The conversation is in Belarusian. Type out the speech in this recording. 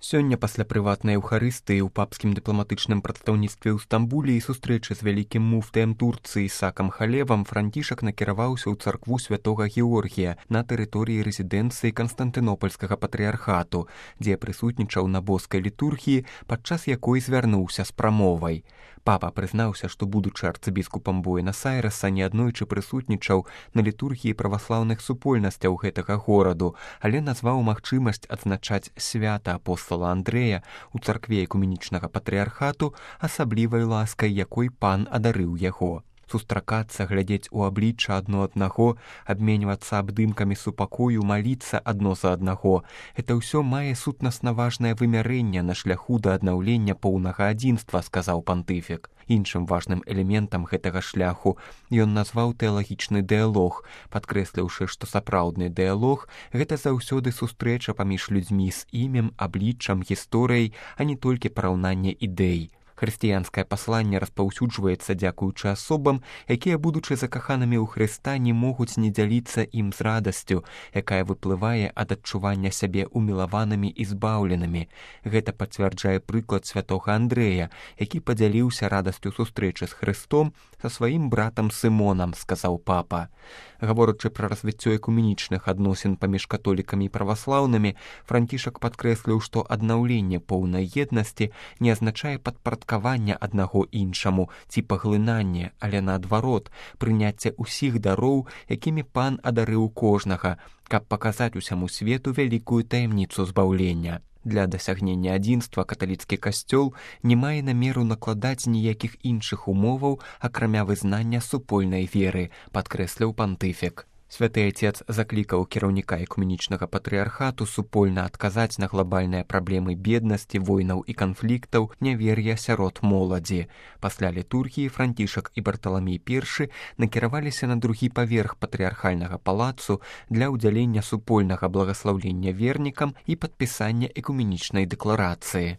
Сёння пасля прыватнай эўхарыстыі ў папскім дыпламатычным прадстаўніцтве ў Стамбуле і сустрэчы з вялікім муфтыем Турцыі Ісакам Халевам Францішак накіраваўся ў царкву святога Георгія на тэрыторыі рэзідэнцыі Канстантынопольскага патрыярхату, дзе прысутнічаў на боскай літургіі, падчас якой звярнуўся з прамовай. Папа прызнаўся, што, будучы арцыбіскупам Буэнас-Айрэса, неаднойчы прысутнічаў на літургіі праваслаўных супольнасцяў гэтага гораду, але назваў магчымасць адзначаць свята апостала Андрэя ў царкве экуменічнага патрыярхату асаблівай ласкай, якой пан адарыў яго. Сустракацца, глядзець у аблічча адно аднаго, абменьвацца абдымкамі супакою, маліцца адно за аднаго — гэта ўсё мае сутнасна важнае вымярэнне на шляху да аднаўлення поўнага адзінства, сказаў пантыфік. Іншым важным элементам гэтага шляху ён назваў тэалагічны дыялог, падкрэсліўшы, што сапраўдны дыялог — гэта заўсёды сустрэча паміж людзьмі з імем, абліччам, гісторыяй, а не толькі параўнанне ідэй. Хрысціянскае пасланне распаўсюджваецца дзякуючы асобам, якія, будучы закаханымі ў Хрыста, не могуць не дзяліцца ім з радасцю, якая выплывае ад адчування сябе умілаванымі і збаўленымі. Гэта пацвярджае прыклад святога Андрэя, які падзяліўся радасцю сустрэчы з Хрыстом са сваім братам Сымонам, сказаў папа. Гаворачы пра развіццё экуменічных адносін паміж католікамі і праваслаўнымі, Францішак падкрэсліў, што аднаўленне поўнай еднасці не азначае падпарадкавання аднаго іншаму ці паглынанне, але наадварот, прыняцце ўсіх дароў, якімі пан адарыў кожнага, каб паказаць усяму свету вялікую таямніцу збаўлення. Для дасягнення адзінства каталіцкі касцёл не мае намеру накладаць ніякіх іншых умоваў, акрамя вызнання супольнай веры, падкрэсліў пантыфік. Святы Ацец заклікаў кіраўніка экуменічнага патрыярхату супольна адказаць на глобальныя праблемы беднасці, войнаў і канфліктаў, нявер'я сярод моладзі. Пасля літургіі Францішак і Барталамей I накіраваліся на другі паверх патрыярхальнага палацу для ўдзялення супольнага благаслаўлення вернікам і падпісання экуменічнай дэкларацыі.